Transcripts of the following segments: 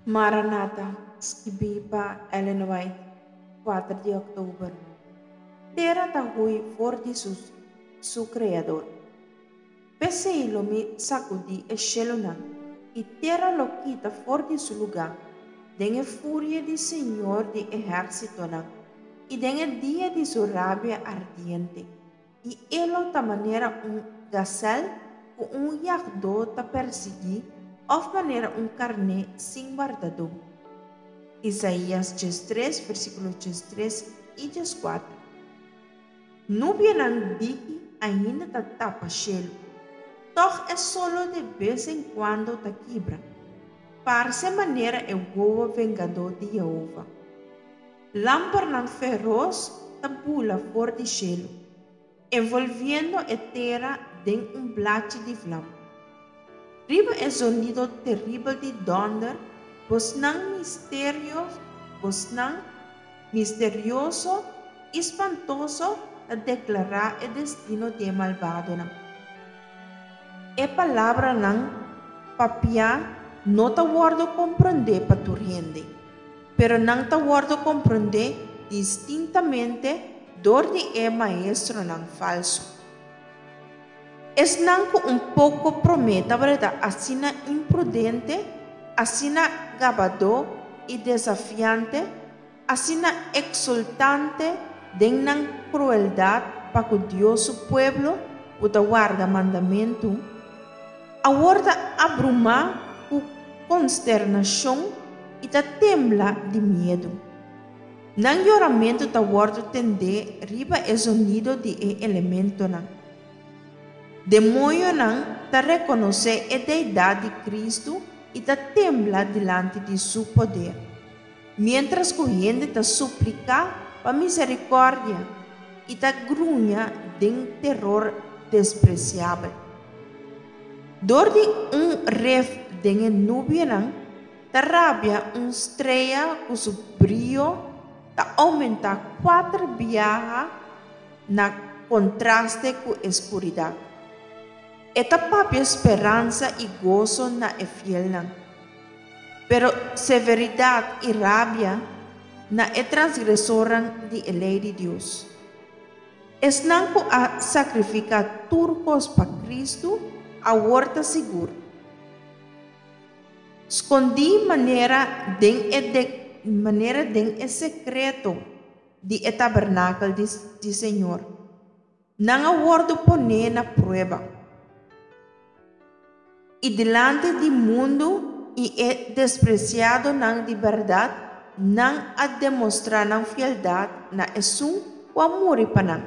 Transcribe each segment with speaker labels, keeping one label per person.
Speaker 1: Maranata, skibí pa Ellen White, kuater di òktober. Tera ta hui for di su su Kreador. P'esei lo mi sakudí e shelunan, i tera lo kita for di su lugá, den e furia di Señor di ehérsitonan, i den e dia di su rabia ardiente. I e lo ta manera un gasèl ku un yagdó ta persiguí òf manera un karné sin wardadó. Isaías 13, versíkulo 13 i 14. Nubianan diki ainda ta tapa shelu. Tòg e solo de bes en kuando ta kibra. Parse manera e wowo vengadó di Yehova. Lampernan feros ta bula for di shelu, envolviendo e tera den un blachi di vlam. Riba e zonido teribel di dònder, bosnan misterio, bosnan misterioso i spantoso ta deklará e destino di e malbadonan. E palabranan papiá no ta wòrdu komprondé pa tur hende. Pero nan ta wòrdu komprondé distintamente dor di e maestronan falsu. Esnan ku un poko promé tabata asina imprudente, asina gabadó i desafiante, asina eksultante den nan krueldat pa ku Dios su pueblo ku ta warda mandamentu, awor ta abrumá ku konsternashon i ta tembla di miedu. Nan yoramentu ta wòrdu tendé riba e zonido di e elementonan. Demoñonan ta rekonosé e deidat di Kristu i ta tembla dilanti di Su poder, miéntras ku hende ta supliká pa miserikòrdia i ta gruña den teror despresiabel. Dor di un ref den e nubianan ta rabia un strea ku su brio ta oumentá kuater biaha na kontraste ku e skuridat. E ta papia speransa i goso na e fielnan, pero severidat i rabia na e transgresornan di e lei di Dios. Esnan ku a sakrifiká tur kos pa Kristu awor ta sigur. Skondí manera den e manera den e sekreto di e tabernakel di di Señor. Nan a wòrdu poné na prueba. I dilanti di mundu i e despresiadonan di bèrdat, nan a demostrá nan fieldat na esun ku a muri pa nan.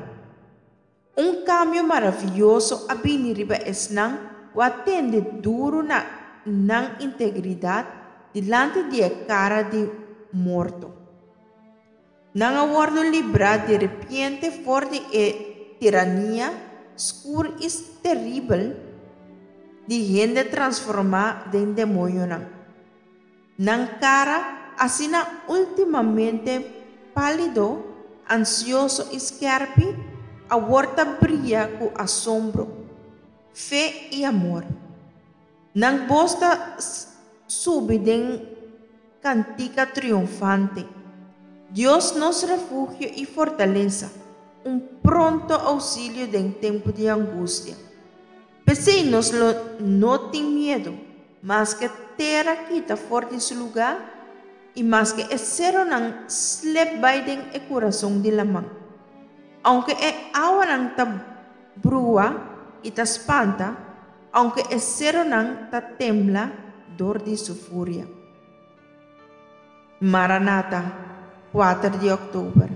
Speaker 1: Un kambio maravioso a bini riba esnan ku a tende duru na nan integridat dilanti di e kara di morto. Nan a wòrdu librá direpiente for di e tirania skur i teribel di hende transformá den demoñonan. Nan kara, asina últimamente pálido, ansioso i skèrpi, awor ta bria ku asombro, fe i amor. Nan bos ta subi den kantika triunfante. Dios nos refugio i fortalesa, un pronto ousilio den tempu di angustia. P'esei nos lo no tin miedu, maske tera kita for di su lugá i maske e seronan slep bai den e kurason di laman. Ounke e awanan ta brua i ta spanta, Aunke e seronan ta tembla dor di su furia. Maranata, kuater di òktober.